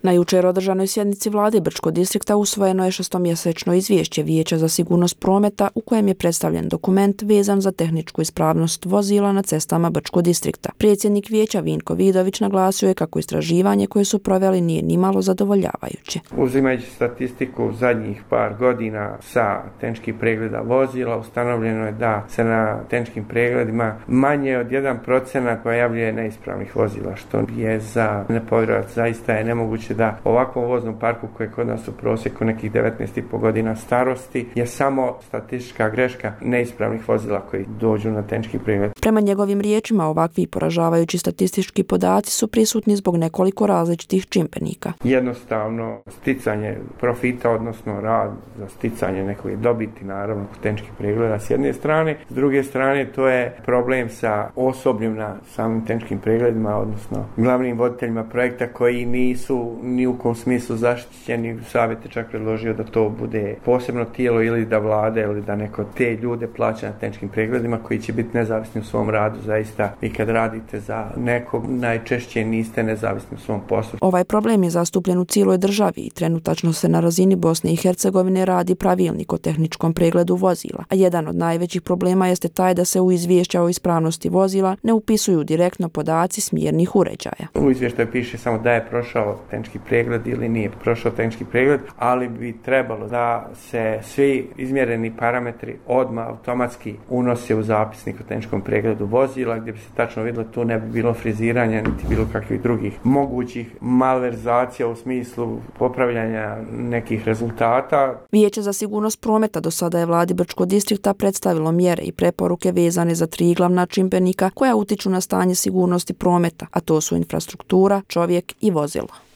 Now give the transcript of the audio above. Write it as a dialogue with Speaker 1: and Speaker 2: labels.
Speaker 1: Na jučer održanoj sjednici vlade Brčkog distrikta usvojeno je šestomjesečno izvješće Vijeća za sigurnost prometa u kojem je predstavljen dokument vezan za tehničku ispravnost vozila na cestama Brčkog distrikta. Predsjednik vijeća Vinko Vidović naglasio je kako istraživanje koje su proveli nije nimalo zadovoljavajuće.
Speaker 2: Uzimajući statistiku zadnjih par godina sa tehničkih pregleda vozila, ustanovljeno je da se na tehničkim pregledima manje od 1% pojavljuje neispravnih vozila, što je za nepovjerovati. Zaista je nemoguće da ovakvom voznom parku koji je kod nas u prosjeku nekih 19,5 godina starosti je samo statistička greška neispravnih vozila koji dođu na tehnički pregled.
Speaker 1: Prema njegovim riječima, ovakvi poražavajući statistički podaci su prisutni zbog nekoliko različitih čimbenika.
Speaker 2: Jednostavno sticanje profita, odnosno rad za sticanje nekoj dobiti, naravno kod tehničkih pregleda s jedne strane, s druge strane to je problem sa osobljem na samim tehničkim pregledima, odnosno glavnim voditeljima projekta koji nisu ni u kom smislu zaštićeni. Savjet je čak predložio da to bude posebno tijelo ili da vlada ili da neko te ljude plaća na tehničkim pregledima koji će biti nezavisni u svom radu. Zaista vi kad radite za nekog najčešće niste nezavisni u svom poslu.
Speaker 1: Ovaj problem je zastupljen u cijeloj državi i trenutačno se na razini Bosne i Hercegovine radi pravilnik o tehničkom pregledu vozila, a jedan od najvećih problema jeste taj da se u izvješća o ispravnosti vozila ne upisuju direktno podaci smjernih uređaja.
Speaker 2: U izvještaju piše samo da je prošao tehnički pregled ili nije prošao tehnički pregled, ali bi trebalo da se svi izmjereni parametri odmah automatski unose u zapisnik o tehničkom pregledu vozila, gdje bi se tačno vidjelo tu ne bi bilo friziranja niti bilo kakvih drugih mogućih malverzacija u smislu popravljanja nekih rezultata.
Speaker 1: Vijeće za sigurnost prometa do sada je vladi Brčkog distrikta predstavilo mjere i preporuke vezane za 3 glavna čimbenika koja utiču na stanje sigurnosti prometa, a to su infrastruktura, čovjek i vozilo.